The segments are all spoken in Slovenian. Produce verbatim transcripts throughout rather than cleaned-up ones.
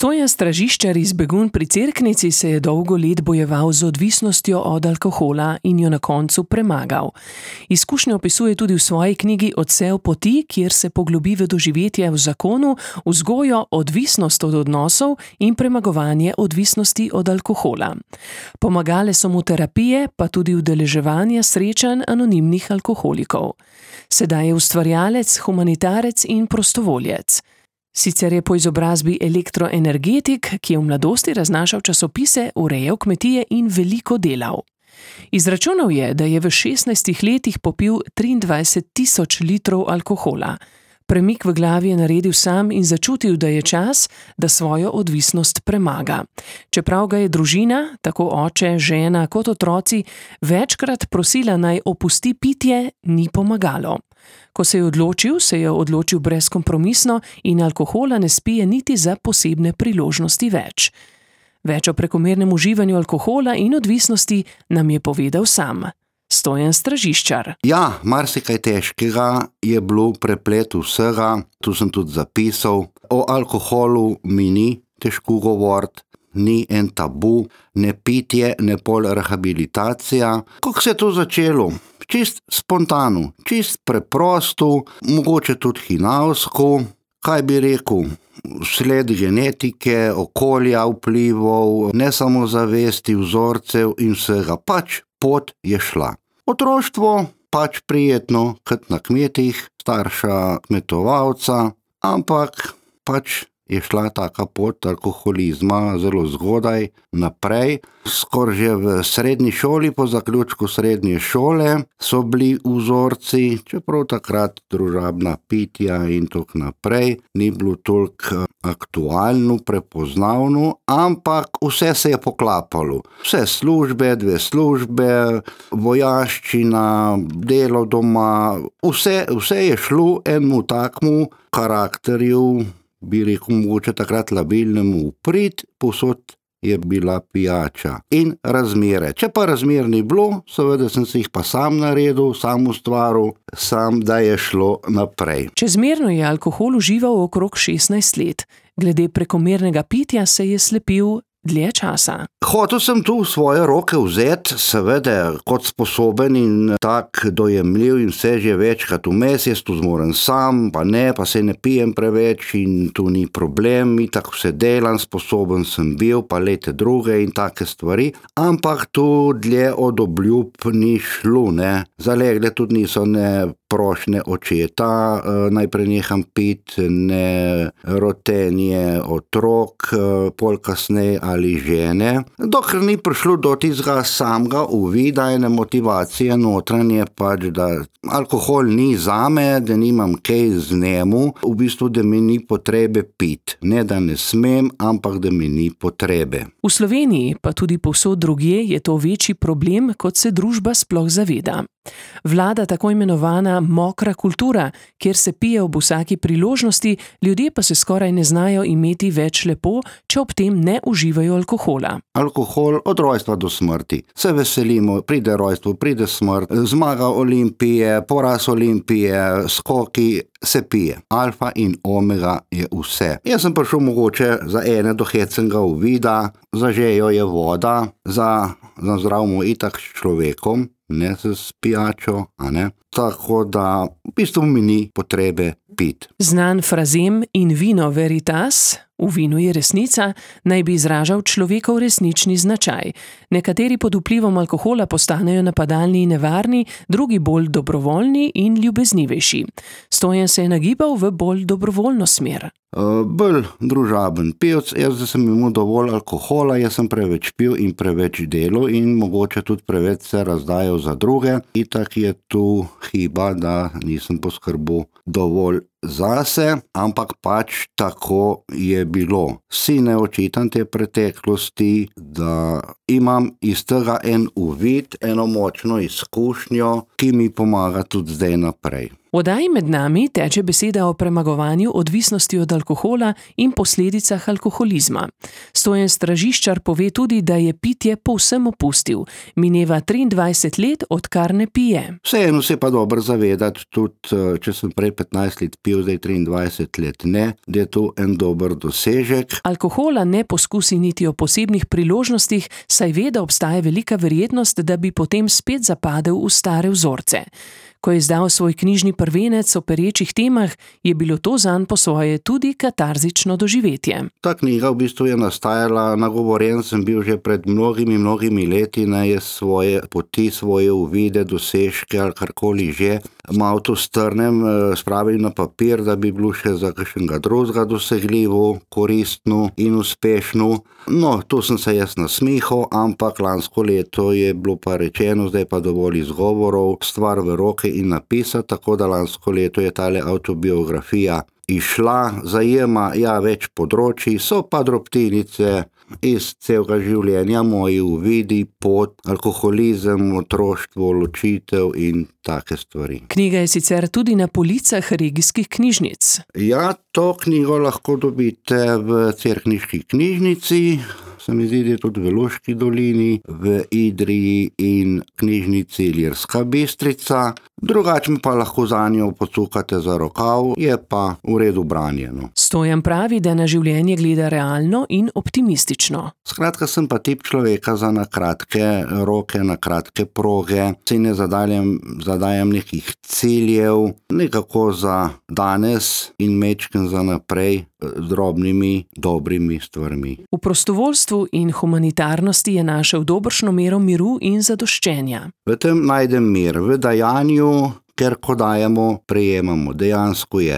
Stojan Stražiščar iz Begunj pri Cerknici se je dolgo let bojeval z odvisnostjo od alkohola in jo na koncu premagal. Izkušnjo opisuje tudi v svoji knjigi Odsev poti, kjer se poglobi v doživetje v zakonu, vzgojo, odvisnost od odnosov in premagovanje odvisnosti od alkohola. Pomagale so mu terapije, pa tudi udeleževanje srečanj anonimnih alkoholikov. Sedaj je ustvarjalec, humanitarec in prostovoljec. Sicer je po izobrazbi elektroenergetik, ki je v mladosti raznašal časopise, urejal kmetije in veliko delal. Izračunal je, da je v šestnajstih letih popil triindvajset tisoč litrov alkohola. Premik v glavi je naredil sam in začutil, da je čas, da svojo odvisnost premaga. Čeprav ga je družina, tako oče, žena kot otroci, večkrat prosila naj opusti pitje, ni pomagalo. Ko se je odločil, se je odločil brezkompromisno in alkohola ne spije niti za posebne priložnosti več. Več o prekomernem uživanju alkohola in odvisnosti nam je povedal sam. Stojan Stražiščar. Ja, marsikaj težkega je bilo preplet vsega, tu sem tudi zapisal. O alkoholu mi ni težko govoriti, ni en tabu, ne pitje, ne pol rehabilitacija. Kako se je to začelo? Čist spontano, čist preprosto, mogoče tudi hinavsko, kaj bi rekel, sled genetike, okolja, vplivov, ne samo zavesti, vzorcev in vsega, pač pot je šla. Otroštvo pač prijetno, kot na kmetih, starša kmetovalca, ampak pač je šla taka pot alkoholizma zelo zgodaj naprej. Skoraj že v srednji šoli, po zaključku srednje šole, so bili vzorci, čeprav takrat družabna pitja in tako naprej, ni bilo toliko aktualno, prepoznavno, ampak vse se je poklapalo. Vse službe, dve službe, vojaščina, delo doma, vse, vse je šlo enemu takmu karakterju, bi rekel, mogoče takrat labilnemu uprit, povsod je bila pijača in razmere. Če pa razmer ni bilo, seveda sem si jih pa sam naredil, sam ustvaril, sam, da je šlo naprej. Čezmerno je alkohol užival okrog šestnajst let. Glede prekomernega pitja se je slepil dlje časa. Hotel sem tu v svoje roke vzeti, seveda, kot sposoben in tak dojemljiv in vse že večkrat vmes, jaz tu zmoren sam, pa ne, pa se ne pijem preveč in tu ni problem, itak vse delam, sposoben sem bil, pa lete druge in take stvari, ampak tu dlje od obljub ni šlo, ne. Zalegle tudi niso ne prošnje očeta, naj preneham pit, ne rotenje otrok, pol kasneje ali žene. Dokler ni prišlo do tistega samega uvida, ene motivacije notranje, pač da alkohol ni zame, da nimam kaj z njemu, v bistvu, da mi ni potrebe pit. Ne, da ne smem, ampak da mi ni potrebe. V Sloveniji, pa tudi povsod drugje, je to večji problem, kot se družba sploh zaveda. Vlada tako imenovana mokra kultura, kjer se pije ob vsaki priložnosti, ljudje pa se skoraj ne znajo imeti več lepo, če ob tem ne uživajo alkohola. Alkohol od rojstva do smrti. Se veselimo, pride rojstvo, pride smrt, zmaga Olimpije, poraz Olimpije, skoki, se pije. Alfa in omega je vse. Jaz sem prišel mogoče za ene do hecnega uvida, za žejo je voda, za, za zdravmo itak s človekom, ne s pijačo, a ne. Tako da v bistvu mi ni potrebe pit. Znan frazem in vino veritas, v vinu je resnica, naj bi izražal človekov resnični značaj. Nekateri pod vplivom alkohola postanejo napadalni in nevarni, drugi bolj dobrovoljni in ljubeznivejši. Stojan se je nagibal v bolj dobrovoljno smer. Uh, bolj družaben pivec, jaz da sem imel dovolj alkohola, jaz sem preveč pil in preveč delal in mogoče tudi preveč se razdajal za druge. Itak je tu hiba, da nisem poskrbel dovolj zase, ampak pač tako je bilo. Si ne očitam te preteklosti, da imam iz tega en uvid, eno močno izkušnjo, ki mi pomaga tudi zdaj naprej. V oddaji Med nami teče beseda o premagovanju odvisnosti od alkohola in posledicah alkoholizma. Stojan Stražiščar pove tudi, da je pitje povsem opustil. Mineva triindvajset let, odkar ne pije. Vseeno se pa dobro zavedati, tudi če sem prej petnajst let pil, zdaj triindvajset let ne, da je to en dober dosežek. Alkohola ne poskusi niti o posebnih priložnostih, saj ve, da obstaja velika verjetnost, da bi potem spet zapadel v stare vzorce. Ko je izdal svoj knjižni prvenec o perečih temah, je bilo to zanj po svoje tudi katarzično doživetje. Ta knjiga v bistvu je nastajala, nagovorjen sem bil že pred mnogimi, mnogimi leti, naj je svoje poti, svoje uvide, dosežke ali karkoli že, malo to strnem, spravim na papir, da bi bilo še za kakšnega drugega dosegljivo, koristno in uspešno. No, tu sem se jaz nasmihal, ampak lansko leto je bilo pa rečeno, zdaj pa dovolj izgovorov, stvar v roke in napisati, tako da lansko leto je tale avtobiografija išla, zajema ja več področji, so pa drobtinice iz celega življenja, moji uvidi, pot, alkoholizem, otroštvo, ločitev in take stvari. Knjiga je sicer tudi na policah regijskih knjižnic. Ja, to knjigo lahko dobite v Cerkniški knjižnici, se mi zdi, da je tudi v Loški dolini, v Idriji in knjižnici Ilirska Bistrica. Drugače mi pa lahko zanjo pocukate za rokav, je pa v redu branjeno. Stojan pravi, da na življenje gleda realno in optimistično. Skratka, sem pa tip človeka za na kratke roke, na kratke proge, si ne zadajam, zadajam nekih ciljev, nekako za danes in mečken za naprej, drobnimi, dobrimi stvarmi. V prostovoljstvu in humanitarnosti je našel dobršno mero miru in zadoščenja. V tem najdem mir, v dajanju, ker ko dajemo, prejemamo, dejansko je.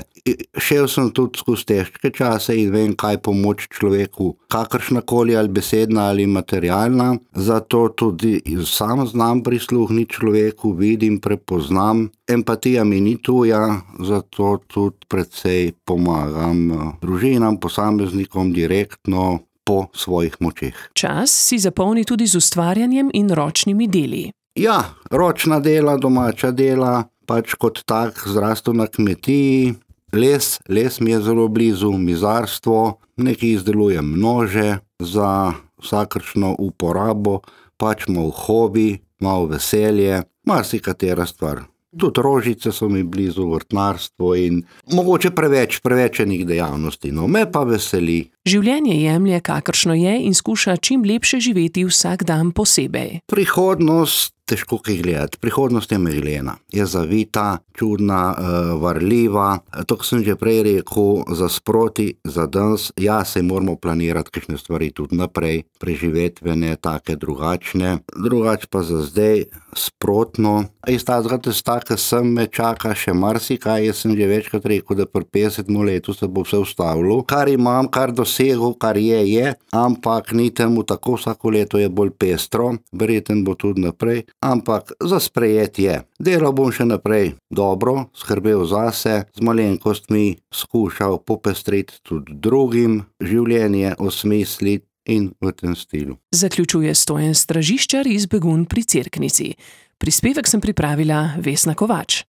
Šel sem tudi skozi težke čase in vem, kaj pomoč človeku, kakršnakoli ali besedna ali materialna, zato tudi sam znam prisluhniti človeku, vidim, prepoznam. Empatija mi ni tuja, zato tudi precej pomagam družinam, posameznikom direktno po svojih močeh. Čas si zapolni tudi z ustvarjanjem in ročnimi deli. Ja, ročna dela, domača dela, pač kot tak zrastel na kmetiji, les, les mi je zelo blizu, mizarstvo, nekaj izdelujem nože za vsakršno uporabo, pač malo hobi, malo veselje, marsikatera stvar. Tudi rožice so mi blizu, vrtnarstvo in mogoče preveč, preveč enih dejavnosti, no me pa veseli. Življenje jemlje, kakršno je, in skuša čim lepše živeti vsak dan posebej. Prihodnost, težko kaj gledati, prihodnost je meglena, je zavita, čudna, varljiva, to, ko sem že prej rekel, za sproti, za danes, ja, se moramo planirati kakšne stvari tudi naprej, preživetvene, take drugačne, drugač pa za zdaj sprotno. Iz tazga testa, ki sem me čaka še marsikaj, jaz sem že večkrat rekel, da pri petdesetem letu se bo vse ustavilo, kar imam, kar dosegel, kar je, je, ampak ni temu tako, vsako leto je bolj pestro, verjetno bo tudi naprej, ampak za sprejet je. Delal bom še naprej dobro, skrbel zase, z malenkostmi skušal popestriti tudi drugim, življenje osmisliti in v tem stilu. Zaključuje Stojan Stražiščar iz Begunj pri Cerknici. Prispevek sem pripravila Vesna Kovač.